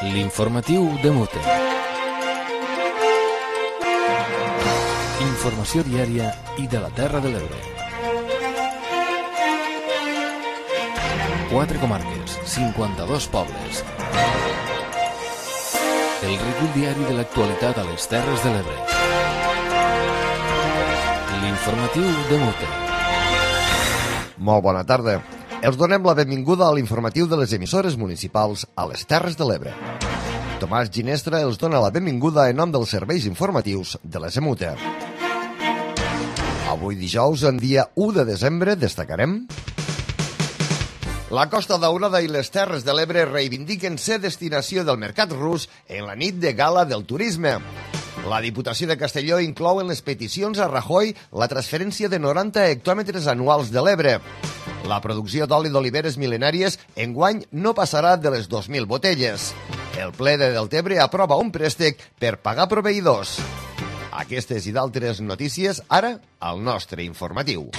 L'informatiu de Mute. Informació diària i de la Terra de l'Ebre. 4 comarques, 52 pobles. El recull diari de l'actualitat a les Terres de l'Ebre. L'informatiu de Mute. Molt bona tarda. Els donem la benvinguda a l'informatiu de les emissores municipals a les Terres de l'Ebre. Tomàs Ginestra els dona la benvinguda en nom dels serveis informatius de les EMUTE. Avui dijous, en dia 1 de desembre, destacarem: la Costa Daurada i les Terres de l'Ebre reivindiquen ser destinació del mercat rus en la nit de gala del turisme. La Diputació de Castelló inclou en les peticions a Rajoy la transferència de 90 hectòmetres anuals de l'Ebre. La producció d'oli d'oliveres mil·lenàries enguany no passarà de les 2.000 botelles. El ple de Deltebre aprova un préstec per pagar proveïdors. Aquestes i d'altres notícies ara al nostre informatiu.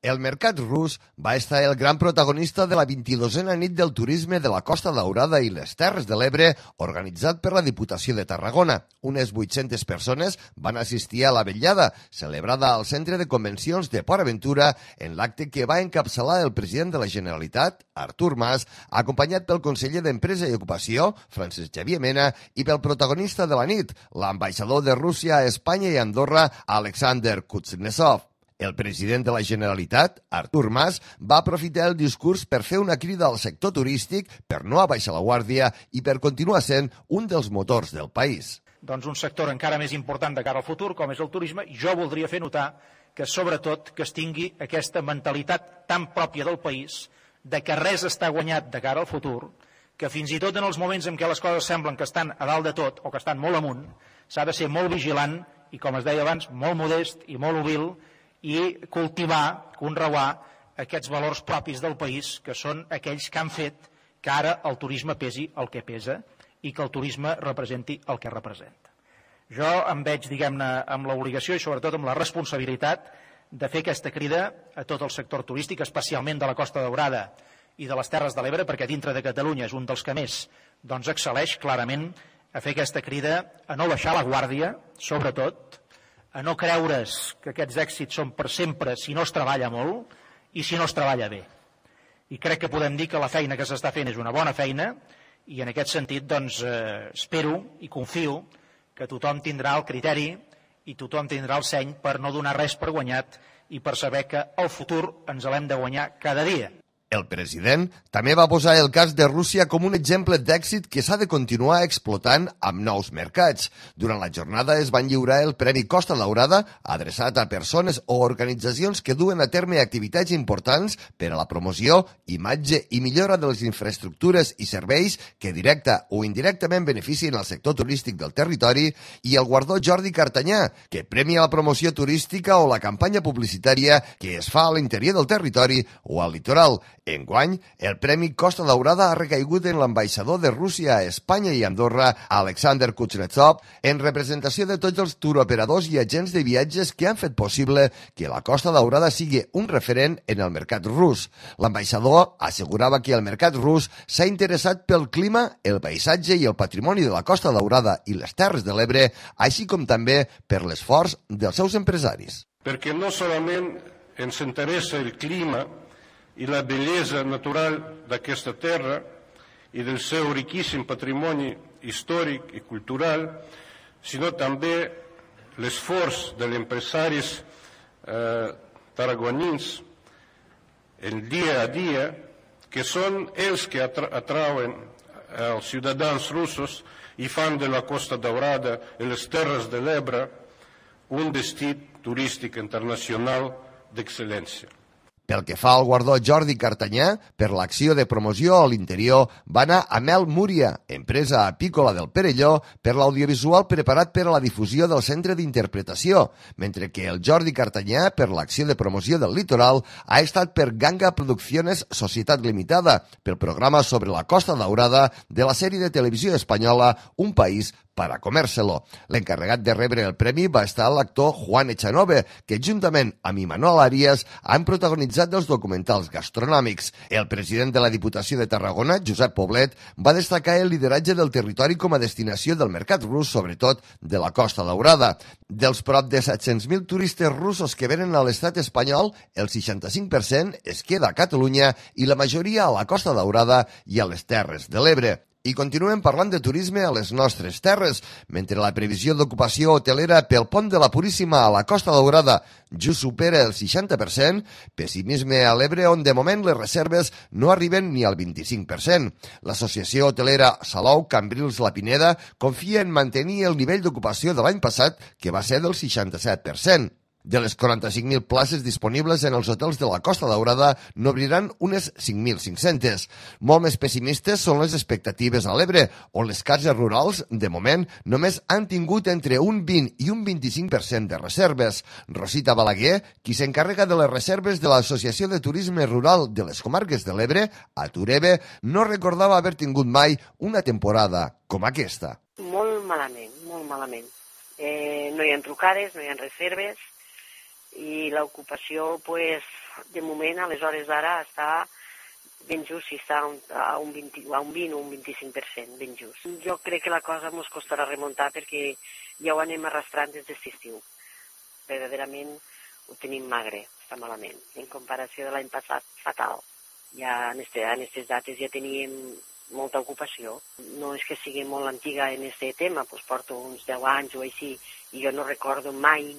El mercat rus va estar el gran protagonista de la 22a nit del turisme de la Costa Daurada i les Terres de l'Ebre, organitzat per la Diputació de Tarragona. Unes 800 persones van assistir a la vetllada, celebrada al Centre de Convencions de Port Aventura, en l'acte que va encapçalar el president de la Generalitat, Artur Mas, acompanyat pel conseller d'Empresa i Ocupació, Francesc Xavier Mena, i pel protagonista de la nit, l'ambaixador de Rússia a Espanya i Andorra, Alexander Kuznetsov. El president de la Generalitat, Artur Mas, va aprofitar el discurs per fer una crida al sector turístic per no abaixar la guàrdia i per continuar sent un dels motors del país. Doncs un sector encara més important de cara al futur, com és el turisme, i jo voldria fer notar que, sobretot, que es tingui aquesta mentalitat tan pròpia del país, de que res està guanyat de cara al futur, que fins i tot en els moments en què les coses semblen que estan a dalt de tot o que estan molt amunt, s'ha de ser molt vigilant i, com es deia abans, molt modest i molt humil, i cultivar, conreuar aquests valors propis del país, que són aquells que han fet que ara el turisme pesi el que pesa i que el turisme representi el que representa. Jo em veig, diguem-ne, amb l'obligació i sobretot amb la responsabilitat de fer aquesta crida a tot el sector turístic, especialment de la Costa Daurada i de les Terres de l'Ebre, perquè dintre de Catalunya és un dels que més excel·leix clarament, a fer aquesta crida a no baixar la guàrdia, sobretot, a no creure's que aquests èxits són per sempre si no es treballa molt i si no es treballa bé. I crec que podem dir que la feina que s'està fent és una bona feina i en aquest sentit espero i confio que tothom tindrà el criteri i tothom tindrà el seny per no donar res per guanyat i per saber que el futur ens l'hem de guanyar cada dia. El president també va posar el cas de Rússia com un exemple d'èxit que s'ha de continuar explotant amb nous mercats. Durant la jornada es van lliurar el Premi Costa Daurada, adreçat a persones o organitzacions que duen a terme activitats importants per a la promoció, imatge i millora de les infraestructures i serveis que directa o indirectament beneficien el sector turístic del territori, i el guardó Jordi Cartanyà, que premia la promoció turística o la campanya publicitària que es fa a l'interior del territori o al litoral. Enguany, el Premi Costa Daurada ha recaigut en l'ambaixador de Rússia a Espanya i Andorra, Alexander Kuznetsov, en representació de tots els turoperadors i agents de viatges que han fet possible que la Costa Daurada sigui un referent en el mercat rus. L'ambaixador assegurava que el mercat rus s'ha interessat pel clima, el paisatge i el patrimoni de la Costa Daurada i les Terres de l'Ebre, així com també per l'esforç dels seus empresaris. Perquè no solament ens interessa el clima i la bellesa natural d'aquesta terra i del seu riquíssim patrimoni històric i cultural, sinó també l'esforç dels empresaris tarragonins el dia a dia, que són els que atrauen els ciutadans russos i fan de la Costa Daurada i les Terres de l'Ebre un destí turístic internacional d'excel·lència. Pel que fa al guardó Jordi Cartanyà, per l'acció de promoció a l'interior, va anar a Mel Múria, empresa apícola del Perelló, per l'audiovisual preparat per a la difusió del Centre d'Interpretació, mentre que el Jordi Cartanyà, per l'acció de promoció del litoral, ha estat per Ganga Producciones Societat Limitada, pel programa sobre la Costa Daurada de la sèrie de televisió espanyola Un País para comérselo. L'encarregat de rebre el premi va estar l'actor Juan Echanove, que juntament amb Imanol Arias han protagonitzat els documentals gastronòmics. El president de la Diputació de Tarragona, Josep Poblet, va destacar el lideratge del territori com a destinació del mercat rus, sobretot de la Costa Daurada. Dels prop de 700.000 turistes russos que venen a l'estat espanyol, el 65% es queda a Catalunya i la majoria a la Costa Daurada i a les Terres de l'Ebre. I continuem parlant de turisme a les nostres terres. Mentre la previsió d'ocupació hotelera pel pont de la Puríssima a la Costa Daurada just supera el 60%, pessimisme a l'Ebre on de moment les reserves no arriben ni al 25%. L'associació hotelera Salou, Cambrils, La Pineda confia en mantenir el nivell d'ocupació de l'any passat, que va ser del 67%. De les 45.000 places disponibles en els hotels de la Costa Daurada, n'obriran unes 5.500. Molt més pessimistes són les expectatives a l'Ebre, on les cases rurals, de moment, només han tingut entre un 20 i un 25% de reserves. Rosita Balaguer, qui s'encarrega de les reserves de l'Associació de Turisme Rural de les Comarques de l'Ebre, a Turebe, no recordava haver tingut mai una temporada com aquesta. Molt malament, molt malament. No hi ha trucades, no hi ha reserves, i l'ocupació, de moment, a les hores d'ara, està ben just, si està a un 20 o un 25%, ben just. Jo crec que la cosa ens costarà remuntar perquè ja ho anem arrastrant des d'aquest estiu. Verdaderament ho tenim magre, està malament. En comparació de l'any passat, fatal. Ja en aquestes dates ja teníem molta ocupació. No és que sigui molt antiga en aquest tema, porto uns 10 anys o així, i jo no recordo mai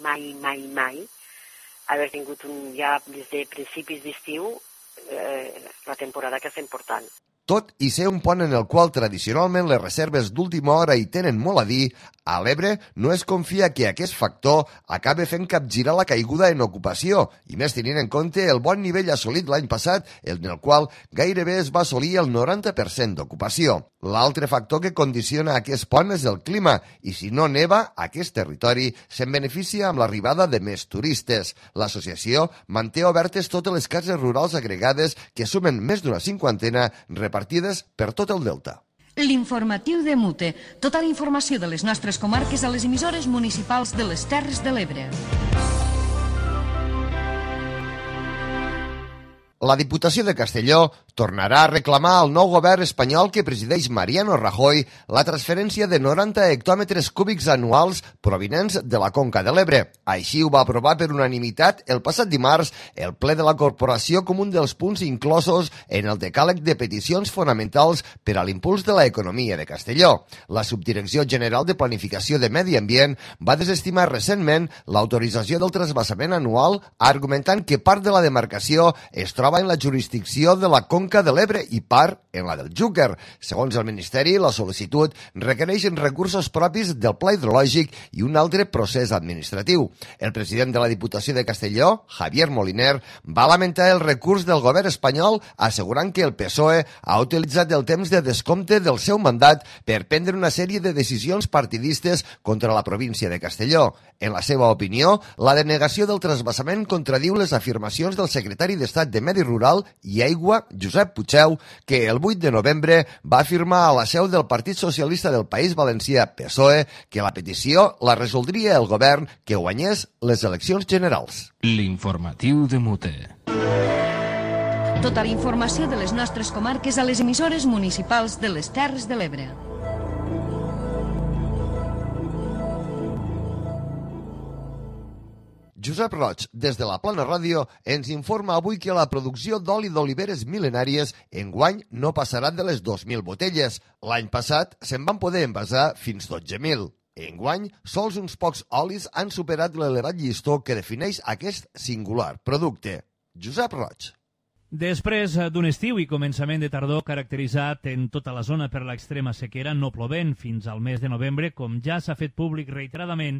haver tingut ja des de principis d'estiu la temporada que estem portant. Tot i ser un pont en el qual tradicionalment les reserves d'última hora hi tenen molt a dir, a l'Ebre no es confia que aquest factor acabi fent capgirar la caiguda en ocupació, i més tenint en compte el bon nivell assolit l'any passat, en el qual gairebé es va assolir el 90% d'ocupació. L'altre factor que condiciona aquest pont és el clima, i si no neva, aquest territori se'n beneficia amb l'arribada de més turistes. L'associació manté obertes totes les cases rurals agregades, que sumen més d'una 50 repartides per tot el delta. L'informatiu de Mute. Tota la informació de les nostres comarques a les emissores municipals de les Terres de l'Ebre. La Diputació de Castelló tornarà a reclamar al nou govern espanyol que presideix Mariano Rajoy la transferència de 90 hectòmetres cúbics anuals provinents de la Conca de l'Ebre. Així ho va aprovar per unanimitat el passat dimarts el ple de la corporació com un dels punts inclosos en el decàleg de peticions fonamentals per a l'impuls de l'economia de Castelló. La Subdirecció General de Planificació de Medi Ambient va desestimar recentment l'autorització del trasbassament anual, argumentant que part de la demarcació es troba en la jurisdicció de la Conca de l'Ebre i part en la del Xúquer. Segons el Ministeri, la sol·licitud requereix recursos propis del Pla Hidrològic i un altre procés administratiu. El president de la Diputació de Castelló, Javier Moliner, va lamentar el recurs del govern espanyol assegurant que el PSOE ha utilitzat el temps de descompte del seu mandat per prendre una sèrie de decisions partidistes contra la província de Castelló. En la seva opinió, la denegació del trasbassament contradiu les afirmacions del secretari d'Estat de Medi Rural i Aigua, Josep Puigdeu, que el 8 de novembre va afirmar a la seu del Partit Socialista del País Valencià, PSOE, que la petició la resoldria el govern que guanyés les eleccions generals. L'informatiu de Mute. Tota la informació de les nostres comarques a les emissores municipals de les Terres de l'Ebre. Josep Roig, des de la Plana Ràdio, ens informa avui que la producció d'oli d'oliveres mil·lenàries enguany no passarà de les 2.000 botelles. L'any passat se'n van poder envasar fins 12.000. Enguany, sols uns pocs olis han superat l'elevat llistó que defineix aquest singular producte. Josep Roig. Després d'un estiu i començament de tardor caracteritzat en tota la zona per l'extrema sequera, no plovent fins al mes de novembre, com ja s'ha fet públic reiteradament,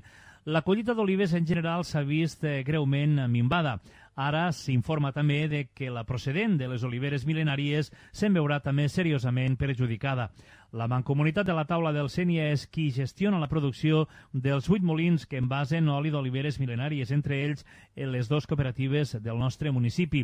la collita d'olives en general s'ha vist greument minvada. Ara s'informa també de que la procedent de les oliveres mil·lenàries se'n veurà també seriosament perjudicada. La Mancomunitat de la Taula del Sénia és qui gestiona la producció dels 8 molins que envasen oli d'oliveres mil·lenàries, entre ells les 2 cooperatives del nostre municipi.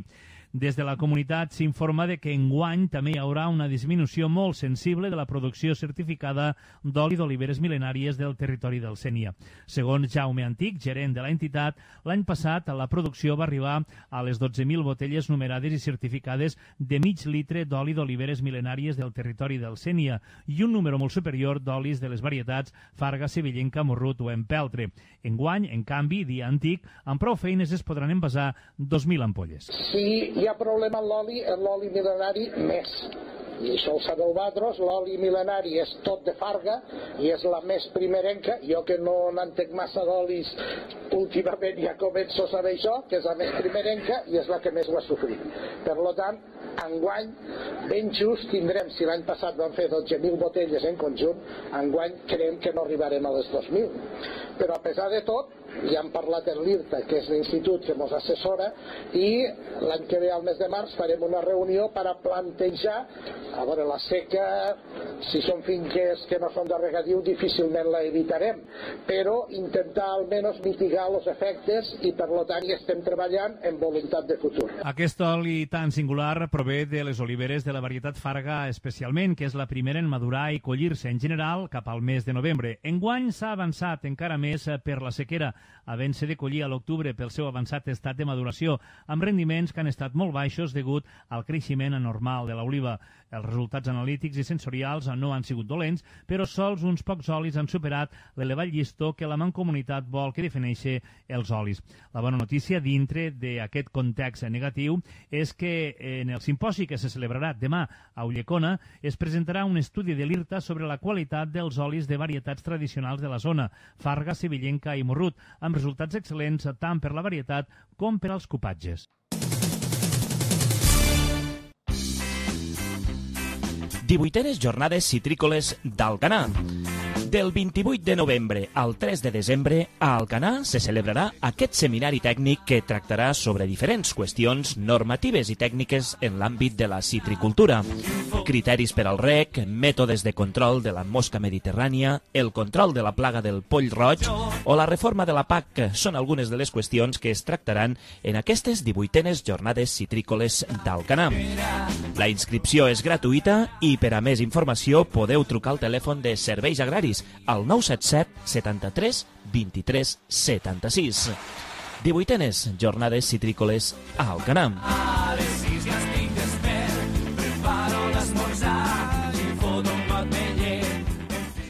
Des de la comunitat s'informa de que enguany també hi haurà una disminució molt sensible de la producció certificada d'oli d'oliveres mil·lenàries del territori del Sénia. Segons Jaume Antic, gerent de l'entitat, l'any passat la producció va arribar a les 12.000 botelles numerades i certificades de mig litre d'oli d'oliveres mil·lenàries del territori del Sénia i un número molt superior d'olis de les varietats Farga, Sevillenca, Morrut o Empeltre. Enguany, en canvi, dia Antic, amb prou feines es podran envasar 2.000 ampolles. Si hi ha problema en l'oli mil·lenari, més. I això ho sap el Badros, l'oli mil·lenari és tot de Farga i és la més primerenca. Jo que no n'entenc massa d'olis, últimament ja començo a saber això, que és la més primerenca i és la que més ho ha sofrit. Per tant, enguany, ben just tindrem, si l'any passat vam fer 12.000 botelles en conjunt, enguany creiem que no arribarem a les 2.000. Però a pesar de tot, ja hem parlat amb l'IRTA, que és l'institut que ens assessora, i l'any que ve, al mes de març, farem una reunió per a plantejar, a veure, la seca, si són finques que no són de regadiu, difícilment la evitarem, però intentar almenys mitigar els efectes i, per tant, hi estem treballant en voluntat de futur. Aquest oli tan singular prové de les oliveres de la varietat Farga especialment, que és la primera en madurar i collir-se en general cap al mes de novembre. Enguany s'ha avançat encara més per la sequera, havent-se de collir a l'octubre pel seu avançat estat de maduració, amb rendiments que han estat molt baixos degut al creixement anormal de l'oliva. Els resultats analítics i sensorials no han sigut dolents, però sols uns pocs olis han superat l'elevat llistó que la Mancomunitat vol que defineixi els olis. La bona notícia dintre d'aquest context negatiu és que en el simposi que se celebrarà demà a Ulldecona es presentarà un estudi de l'IRTA sobre la qualitat dels olis de varietats tradicionals de la zona, Farga, Sevillenca i Morrut, amb resultats excel·lents tant per la varietat com per als cupatges. Divuitenes jornades citrícoles d'Alcanar. Del 28 de novembre al 3 de desembre, a Alcanar se celebrarà aquest seminari tècnic que tractarà sobre diferents qüestions normatives i tècniques en l'àmbit de la citricultura. Criteris per al rec, mètodes de control de la mosca mediterrània, el control de la plaga del poll roig o la reforma de la PAC són algunes de les qüestions que es tractaran en aquestes 18enes jornades citrícoles d'Alcanar. La inscripció és gratuïta i per a més informació podeu trucar al telèfon de Serveis Agraris al 977 73 23 76. 18enes jornades citrícoles a Alcanar.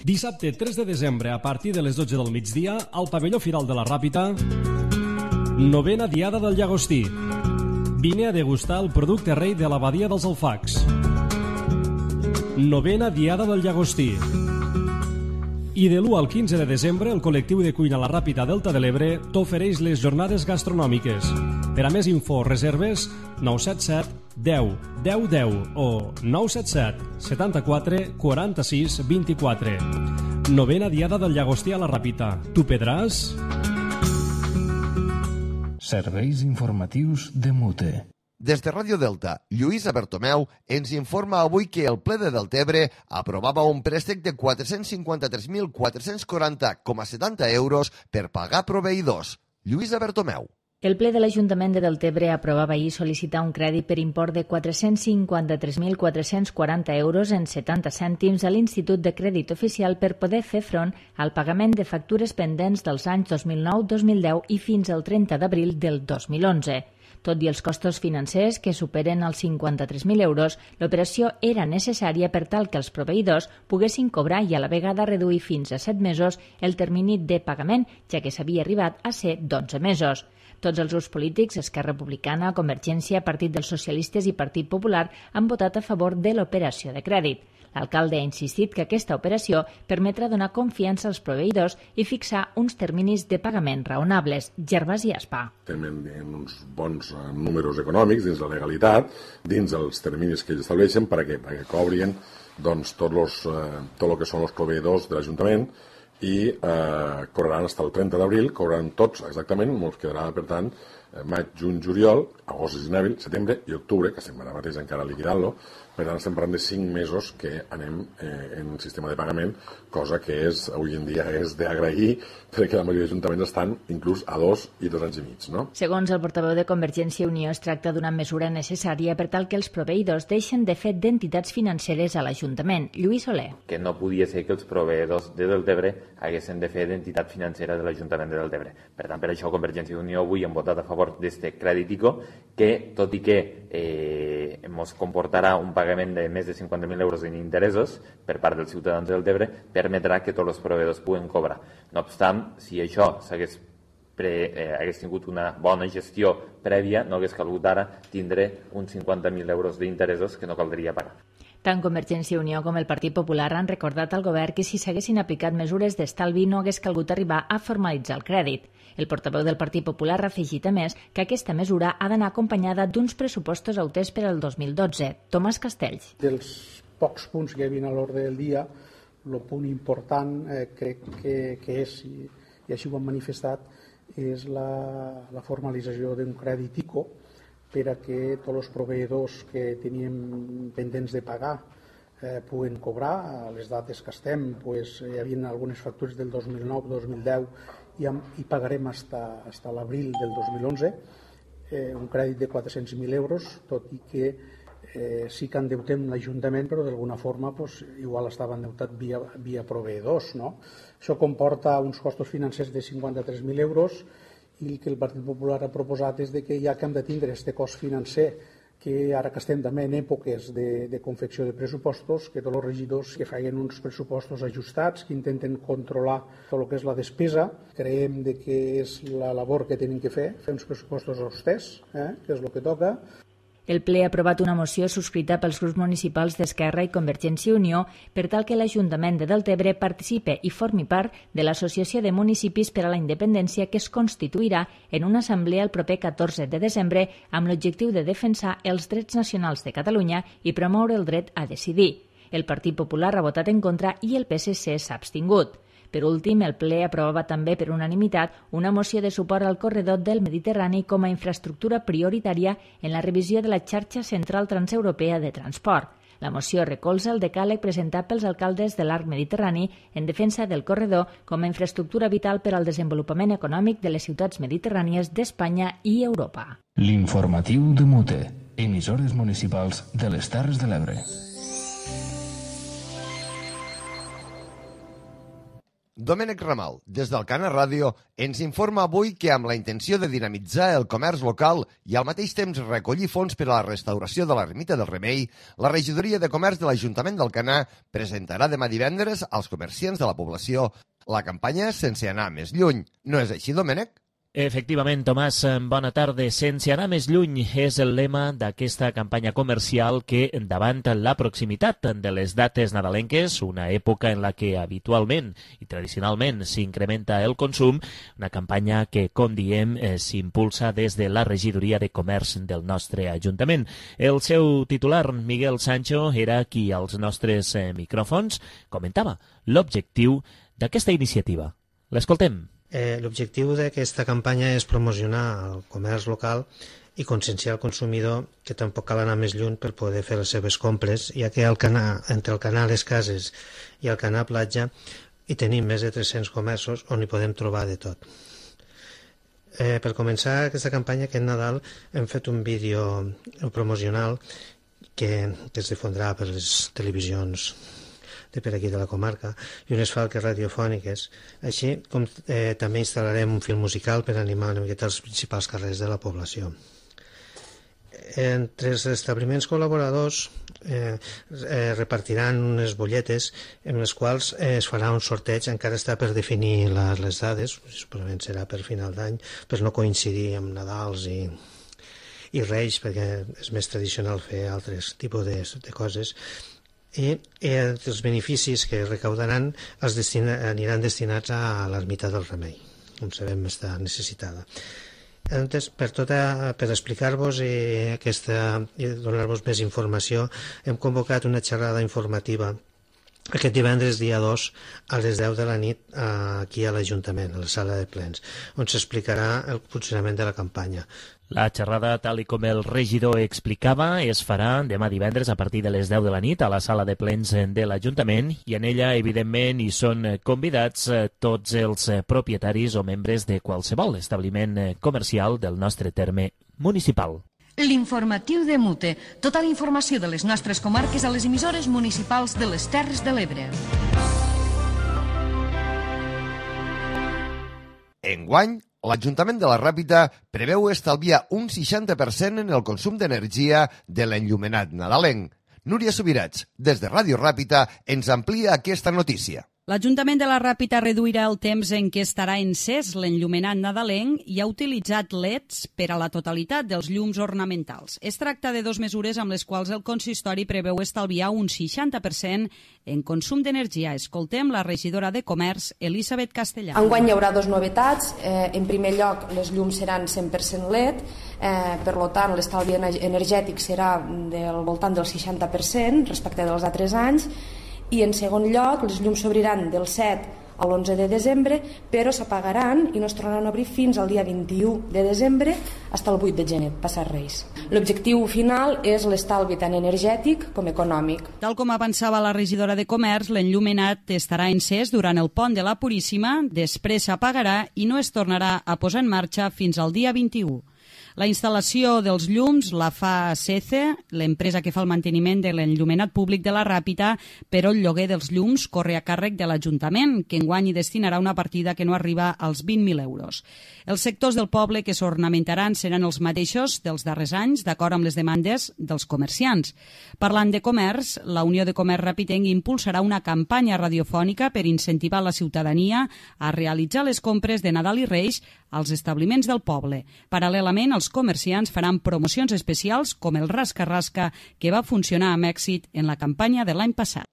Dissabte 3 de desembre, a partir de les 12 del migdia, al pavelló Firal de la Ràpita, 9a Diada del Llagostí. Vine a degustar el producte rei de l'abadia dels Alfacs. 9a Diada del Llagostí. I de l'1 al 15 de desembre, el col·lectiu de cuina La Ràpita Delta de l'Ebre t'ofereix les jornades gastronòmiques. Per a més info o reserves, 977 10 10 10 o 977 74 46 24. 9a Diada del Llagostí a La Ràpita. Tu pedràs? Serveis informatius de Mute. Des de Ràdio Delta, Lluïsa Bertomeu ens informa avui que el ple de Deltebre aprovava un préstec de 453.440,70 euros per pagar proveïdors. Lluïsa Bertomeu. El ple de l'Ajuntament de Deltebre aprovava ahir sol·licitar un crèdit per import de 453.440 euros en 70 cèntims a l'Institut de Crèdit Oficial per poder fer front al pagament de factures pendents dels anys 2009, 2010 i fins al 30 d'abril del 2011. Tot i els costos financers, que superen els 53.000 euros, l'operació era necessària per tal que els proveïdors poguessin cobrar i a la vegada reduir fins a 7 mesos el termini de pagament, ja que s'havia arribat a ser d'11 mesos. Tots els grups polítics, Esquerra Republicana, Convergència, Partit dels Socialistes i Partit Popular, han votat a favor de l'operació de crèdit. L'alcalde ha insistit que aquesta operació permetrà donar confiança als proveïdors i fixar uns terminis de pagament raonables. Gervasi Aspa. Tenen uns bons números econòmics dins la legalitat, dins els terminis que ells estableixen perquè cobrien doncs, tot el que són els proveïdors de l'Ajuntament i cobraran fins al 30 d'abril, cobraran tots exactament, ens quedarà per tant maig, juny, juliol, agost, gener, setembre i octubre, que estem ara mateix encara liquidant-lo, Per tant, estem parlant de 5 mesos que anem en sistema de pagament, cosa que avui en dia és d'agrair, perquè la majoria d'ajuntaments estan inclús a 2 i 2 anys i mig. No? Segons el portaveu de Convergència i Unió, es tracta d'una mesura necessària per tal que els proveïdors deixen de fer d'entitats financeres a l'Ajuntament. Lluís Soler. Que no podia ser que els proveïdors de Deltebre haguessin de fer d'entitat financera de l'Ajuntament de Deltebre. Per tant, per això Convergència i Unió avui hem votat a favor d'este crèditico, que tot i que ens comportarà un pagament de més de 50.000 euros en interessos per part dels ciutadans del Deltebre, permetrà que tots els proveïdors puguen cobrar. No obstant, si això hagués tingut una bona gestió prèvia, no hagués calgut ara tindre uns 50.000 euros d'interessos que no caldria pagar. Tant Convergència i Unió com el Partit Popular han recordat al govern que si s'haguessin aplicat mesures d'estalvi no hagués calgut arribar a formalitzar el crèdit. El portaveu del Partit Popular ha afegit a més que aquesta mesura ha d'anar acompanyada d'uns pressupostos auters per al 2012. Tomàs Castells. Dels pocs punts que hi havia a l'ordre del dia, el punt important crec que és, i així ho han manifestat, és la formalització d'un crèdit ICO per a que tots els proveïdors que teníem pendents de pagar puguen cobrar. A les dates que estem hi havia algunes factures del 2009-2010 i pagarem fins a l'abril del 2011, un crèdit de 400.000 euros, tot i que sí que endeutem l'Ajuntament, però d'alguna forma igual estava endeutat via proveïdors. No? Això comporta uns costos financers de 53.000 euros i el que el Partit Popular ha proposat és que ja que hem de tindre aquest cost financer, que ara que estem també en èpoques de confecció de pressupostos, que tots els regidors que facin uns pressupostos ajustats, que intenten controlar tot el que és la despesa. Creiem que és la labor que tenim que fer uns pressupostos austers, que és el que toca. El ple ha aprovat una moció subscrita pels grups municipals d'Esquerra i Convergència i Unió per tal que l'Ajuntament de Deltebre participe i formi part de l'Associació de Municipis per a la Independència, que es constituirà en una assemblea el proper 14 de desembre amb l'objectiu de defensar els drets nacionals de Catalunya i promoure el dret a decidir. El Partit Popular ha votat en contra i el PSC s'ha abstingut. Per últim, el ple aprovava també per unanimitat una moció de suport al corredor del Mediterrani com a infraestructura prioritària en la revisió de la xarxa central transeuropea de transport. La moció recolza el decàleg presentat pels alcaldes de l'arc mediterrani en defensa del corredor com a infraestructura vital per al desenvolupament econòmic de les ciutats mediterrànies d'Espanya i Europa. L'informatiu de Mute, emissores municipals de les Terres de l'Ebre. Domènec Ramal, des d'Alcana Ràdio, ens informa avui que amb la intenció de dinamitzar el comerç local i al mateix temps recollir fons per a la restauració de l'Ermita del Remei, la Regidoria de Comerç de l'Ajuntament d'Alcanar presentarà demà divendres als comerciants de la població la campanya Sense anar més lluny. No és així, Domènec? Efectivament, Tomàs, bona tarda. Sense anar més lluny és el lema d'aquesta campanya comercial que, davant la proximitat de les dates nadalenques, una època en la que habitualment i tradicionalment s'incrementa el consum, una campanya que, com diem, s'impulsa des de la Regidoria de Comerç del nostre Ajuntament. El seu titular, Miguel Sancho, era qui als nostres micròfons comentava l'objectiu d'aquesta iniciativa. L'escoltem. L'objectiu d'aquesta campanya és promocionar el comerç local i conscienciar el consumidor que tampoc cal anar més lluny per poder fer les seves compres, ja que entre el Canà Les Cases i el Canà Platja hi tenim més de 300 comerços on hi podem trobar de tot. Per començar aquesta campanya, aquest Nadal, hem fet un vídeo promocional que es difondrà per les televisions de per aquí de la comarca i unes falques radiofòniques, així com també instal·larem un film musical per animar una miqueta els principals carrers de la població. Entre els establiments col·laboradors repartiran unes butlletes en les quals es farà un sorteig, encara està per definir les dades, segurament serà per final d'any, per no coincidir amb Nadals i Reis, perquè és més tradicional fer altres tipus de coses. I els beneficis que recaudaran aniran destinats a l'Ermita del Remei, com sabem està necessitada. Llavors, per explicar-vos i donar-vos més informació, hem convocat una xerrada informativa aquest divendres, dia 2, a les 10 de la nit, aquí a l'Ajuntament, a la sala de plens, on s'explicarà el funcionament de la campanya. La xerrada, tal com el regidor explicava, es farà demà divendres a partir de les 10 de la nit a la sala de plens de l'Ajuntament i en ella, evidentment, hi són convidats tots els propietaris o membres de qualsevol establiment comercial del nostre terme municipal. L'informatiu de Mute. Tota la informació de les nostres comarques a les emissores municipals de les Terres de l'Ebre. Enguany, l'Ajuntament de la Ràpita preveu estalviar un 60% en el consum d'energia de l'enllumenat nadalenc. Núria Subirats, des de Ràdio Ràpita, ens amplia aquesta notícia. L'Ajuntament de la Ràpita reduirà el temps en què estarà encès l'enllumenat nadalenc i ha utilitzat LEDs per a la totalitat dels llums ornamentals. Es tracta de 2 mesures amb les quals el consistori preveu estalviar un 60% en consum d'energia. Escoltem la regidora de Comerç, Elisabet Castellà. Enguany hi haurà 2 novetats. En primer lloc, les llums seran 100% LED, per tant, l'estalvi energètic serà del voltant del 60% respecte dels altres anys. I en segon lloc, les llums s'obriran del 7 a l'11 de desembre, però s'apagaran i no es tornaran a obrir fins al dia 21 de desembre fins al 8 de gener, passat Reis. L'objectiu final és l'estalvi tant energètic com econòmic. Tal com avançava la regidora de Comerç, l'enllumenat estarà encès durant el pont de la Puríssima, després s'apagarà i no es tornarà a posar en marxa fins al dia 21. La instal·lació dels llums la fa SECE, l'empresa que fa el manteniment de l'enllumenat públic de la Ràpita, però el lloguer dels llums corre a càrrec de l'Ajuntament, que enguany hi destinarà una partida que no arriba als 20.000 euros. Els sectors del poble que s'ornamentaran seran els mateixos dels darrers anys, d'acord amb les demandes dels comerciants. Parlant de comerç, la Unió de Comerç Ràpitenc impulsarà una campanya radiofònica per incentivar la ciutadania a realitzar les compres de Nadal i Reis als establiments del poble. Paral·lelament, els comerciants faran promocions especials com el Rasca-Rasca, que va funcionar amb èxit en la campanya de l'any passat.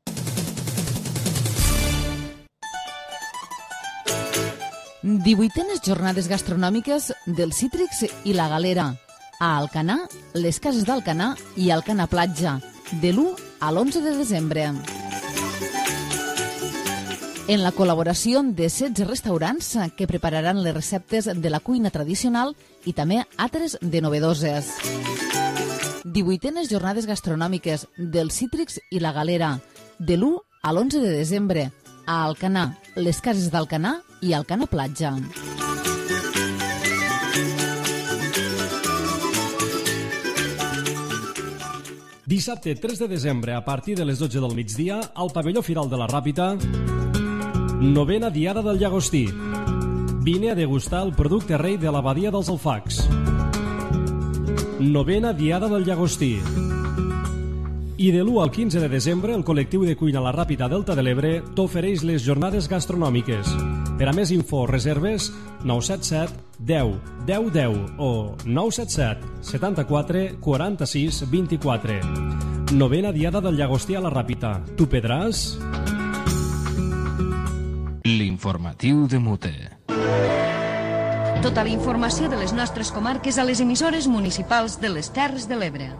Divuitenes jornades gastronòmiques del Cítrics i la Galera. A Alcanar, les cases d'Alcanar i Alcanar Platja, de l'1 a l'11 de desembre. En la col·laboració de 16 restaurants que prepararan les receptes de la cuina tradicional i també altres de novedoses. 18enes jornades gastronòmiques del Cítrics i la Galera, de l'1 a l'11 de desembre, a Alcanar, les cases d'Alcanar i Alcanar Platja. Dissabte 3 de desembre, a partir de les 12 del migdia, al pavelló Firal de la Ràpita, 9a Diada del Llagostí. Vine a degustar el producte rei de l'abadia dels Alfacs. 9a Diada del Llagostí. I de l'1 al 15 de desembre, el col·lectiu de cuina La Ràpita Delta de l'Ebre t'ofereix les jornades gastronòmiques. Per a més info o reserves, 977 10 10 10 o 977 74 46 24. 9a Diada del Llagostí a La Ràpita. Tu pedràs? L'informatiu de Mute. Tota la informació de les nostres comarques a les emissores municipals de les Terres de l'Ebre.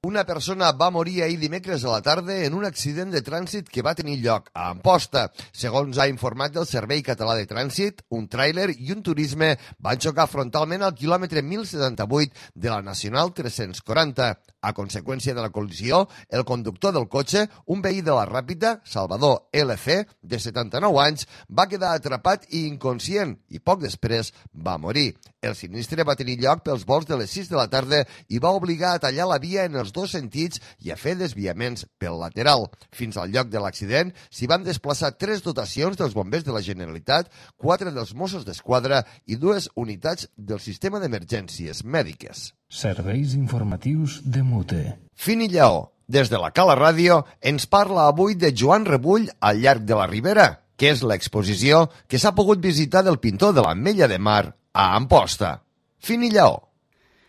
Una persona va morir ahir dimecres a la tarda en un accident de trànsit que va tenir lloc a Amposta. Segons ha informat el Servei Català de Trànsit, un tràiler i un turisme van xocar frontalment al quilòmetre 1078 de la Nacional 340. A conseqüència de la col·lisió, el conductor del cotxe, un veí de la Ràpita, Salvador LC, de 79 anys, va quedar atrapat i inconscient i poc després va morir. El sinistre va tenir lloc pels volts de les 6 de la tarda i va obligar a tallar la via en els dos sentits i a fer desviaments pel lateral. Fins al lloc de l'accident s'hi van desplaçar 3 dotacions dels bombers de la Generalitat, 4 dels Mossos d'Esquadra i 2 unitats del sistema d'emergències mèdiques. Serveis informatius de Mute. Fini Lleó, des de la Cala Ràdio, ens parla avui de Joan Rebull al llarg de la Ribera, que és l'exposició que s'ha pogut visitar del pintor de l'Ametlla de Mar a Amposta. Fini Lleó.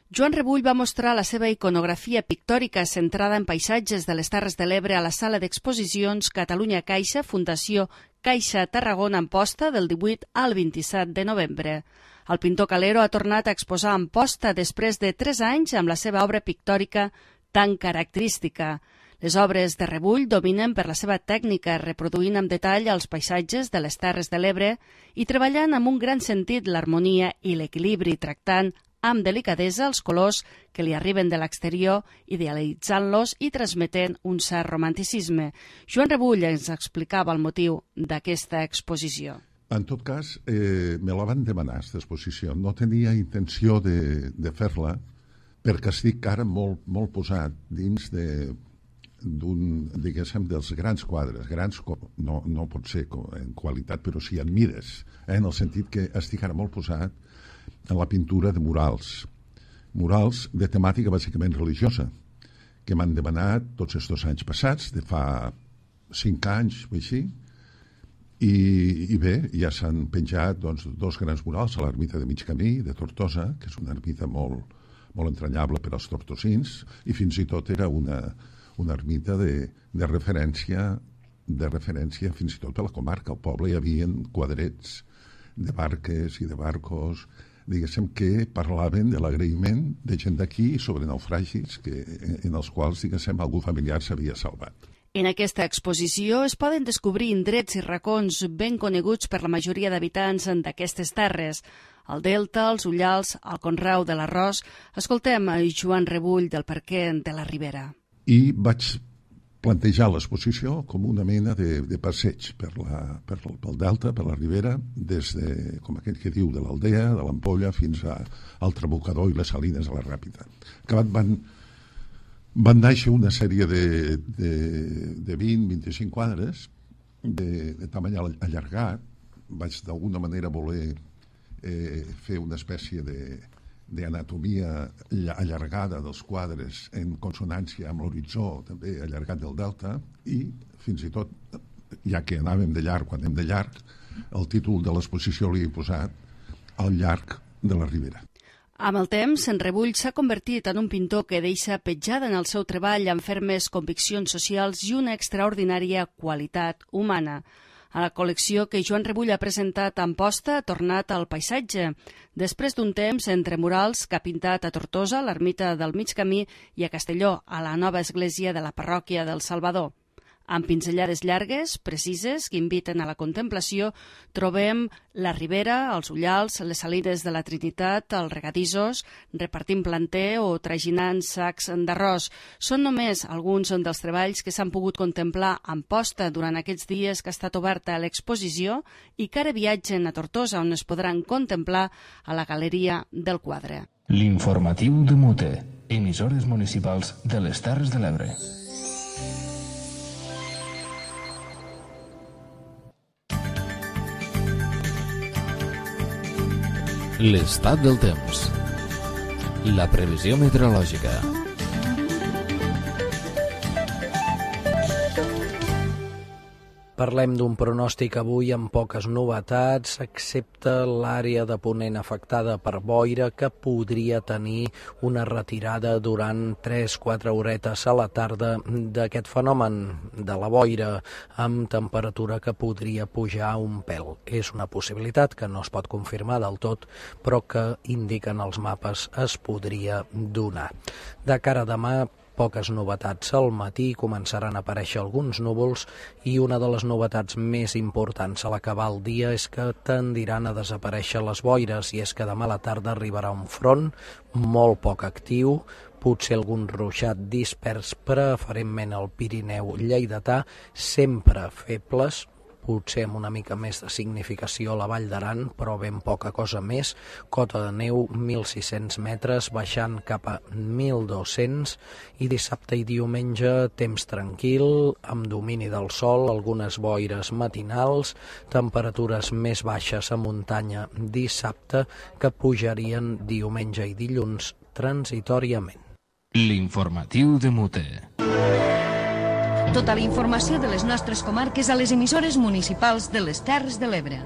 Joan Rebull va mostrar la seva iconografia pictòrica centrada en paisatges de les Terres de l'Ebre a la sala d'exposicions Catalunya Caixa, Fundació Caixa Tarragona Amposta, del 18 al 27 de novembre. El pintor Calero ha tornat a exposar a Amposta després de 3 anys amb la seva obra pictòrica tan característica. Les obres de rebull dominen per la seva tècnica, reproduint amb detall els paisatges de les Terres de l'Ebre i treballant amb un gran sentit l'harmonia i l'equilibri, tractant amb delicadesa els colors que li arriben de l'exterior, idealitzant-los i transmetent un cert romanticisme. Joan Rebull ens explicava el motiu d'aquesta exposició. En tot cas, me la van demanar, aquesta exposició. No tenia intenció de fer-la perquè estic ara molt posat dins diguéssim, dels grans quadres. Grans no pot ser en qualitat, però sí en mides, en el sentit que estic ara molt posat en la pintura de murals. Murals de temàtica bàsicament religiosa, que m'han demanat tots estos anys passats, de fa 5 anys o així, i bé, ja s'han penjat dos grans murals a l'ermita de Mig Camí, de Tortosa, que és una ermita molt entranyable per als tortosins, i fins i tot era una ermita de referència fins i tot per la comarca. Al poble hi havia quadrets de barques i de barcos, diguéssim, que parlaven de l'agraïment de gent d'aquí sobre naufragis en els quals, diguéssim, algú familiar s'havia salvat. En aquesta exposició es poden descobrir indrets i racons ben coneguts per la majoria d'habitants d'aquestes terres. El Delta, els Ullals, el conreu de l'arròs. Escoltem a Joan Rebull del Parquer de la Ribera. I vaig plantejar l'exposició com una mena de passeig pel Delta, per la Ribera, des de, com aquell que diu, de l'Aldea, de l'Ampolla, fins al Trabucador i les Salines de la Ràpita. Acabat van néixer una sèrie de 20-25 quadres de tamany allargat. Vaig d'alguna manera voler fer una espècie d'anatomia allargada dels quadres en consonància amb l'horitzó també allargat del Delta, i fins i tot, ja que anàvem de llarg, quan anem de llarg, el títol de l'exposició li he posat Al llarg de la Ribera. Amb el temps, en Rebull s'ha convertit en un pintor que deixa petjada en el seu treball amb fermes conviccions socials i una extraordinària qualitat humana. A la col·lecció que Joan Rebull ha presentat a Amposta ha tornat al paisatge. Després d'un temps entre murals que ha pintat a Tortosa, a l'ermita del Mig Camí, i a Castelló, a la nova església de la parròquia del Salvador. Amb pinzellades llargues, precises, que inviten a la contemplació, trobem la Ribera, els Ullals, les Salines de la Trinitat, els regadissos, repartint planter o traginant sacs d'arròs. Són només alguns dels treballs que s'han pogut contemplar a Amposta durant aquests dies que ha estat oberta l'exposició i que ara viatgen a Tortosa, on es podran contemplar a la Galeria del Quadre. L'informatiu de Mute, emissores municipals de les Terres de l'Ebre. L'estat del temps. La previsió meteorològica. Parlem d'un pronòstic avui amb poques novetats, excepte l'àrea de Ponent afectada per boira, que podria tenir una retirada durant 3-4 horetes a la tarda d'aquest fenomen de la boira, amb temperatura que podria pujar un pèl. És una possibilitat que no es pot confirmar del tot, però que indiquen els mapes es podria donar. De cara a demà, poques novetats. Al matí començaran a aparèixer alguns núvols i una de les novetats més importants a l'acabar el dia és que tendiran a desaparèixer les boires, i és que demà a la tarda arribarà un front molt poc actiu, potser algun ruixat dispers, preferentment al Pirineu lleidatà, sempre febles, potser amb una mica més de significació a la Vall d'Aran, però ben poca cosa més. Cota de neu 1.600 metres, baixant cap a 1.200, i dissabte i diumenge temps tranquil, amb domini del sol, algunes boires matinals, temperatures més baixes a muntanya dissabte, que pujarien diumenge i dilluns transitoriament. L'informatiu de Mute. Tota la informació de les nostres comarques a les emissores municipals de les Terres de l'Ebre.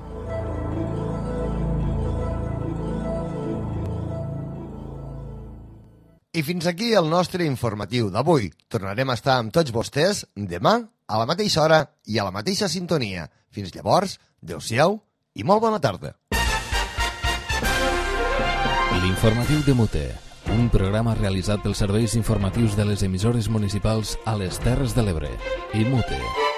I fins aquí el nostre informatiu d'avui. Tornarem a estar amb tots vostès demà a la mateixa hora i a la mateixa sintonia. Fins llavors, adeu-siau i molt bona tarda. L'informatiu de Mute, un programa realitzat pels serveis informatius de les emissores municipals a les Terres de l'Ebre. IMUTE.